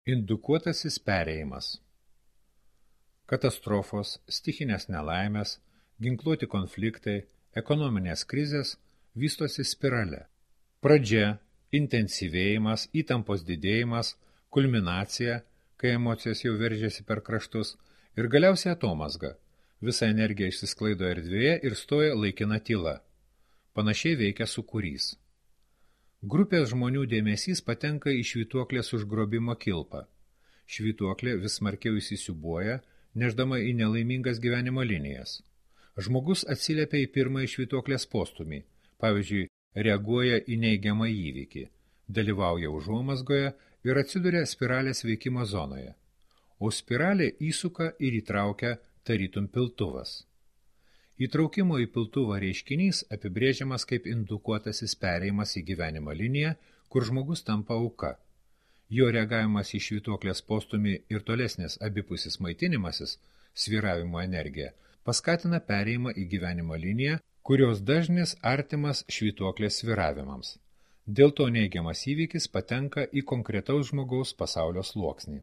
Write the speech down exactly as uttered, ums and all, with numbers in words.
Indukuotasis perėjimas. Katastrofos, stichinės nelaimės, ginkluoti konfliktai, ekonominės krizės vystosi spirale. Pradžia, intensyvėjimas, įtampos didėjimas, kulminacija, kai emocijos jau veržiasi per kraštus, ir galiausiai atomazga. Visa energija išsisklaido erdvėje ir stoja laikina tyla. Panašiai veikia sūkurys. Grupės žmonių dėmesys patenka į švytuoklės užgrobimo kilpą. Švytuoklė vis smarkiau įsisiūbuoja, neždama į nelaimingas gyvenimo linijas. Žmogus atsiliepia į pirmąjį švytuoklės postumį, pavyzdžiui, reaguoja į neigiamą įvykį, dalyvauja užuomazgoje ir atsiduria spiralės veikimo zonoje. O spiralė įsuka ir įtraukia tarytum piltuvas. Įtraukimo į piltuvą reiškinys apibrėžiamas kaip indukuotasis perėjimas į gyvenimo liniją, kur žmogus tampa auka. Jo reagavimas į švytuoklės postumį ir tolesnis abipusis maitinimasis, svyravimo energija, paskatina perėjimą į gyvenimo liniją, kurios dažnis artimas švytuoklės svyravimams. Dėl to neigiamas įvykis patenka į konkretaus žmogaus pasaulio sluoksnį.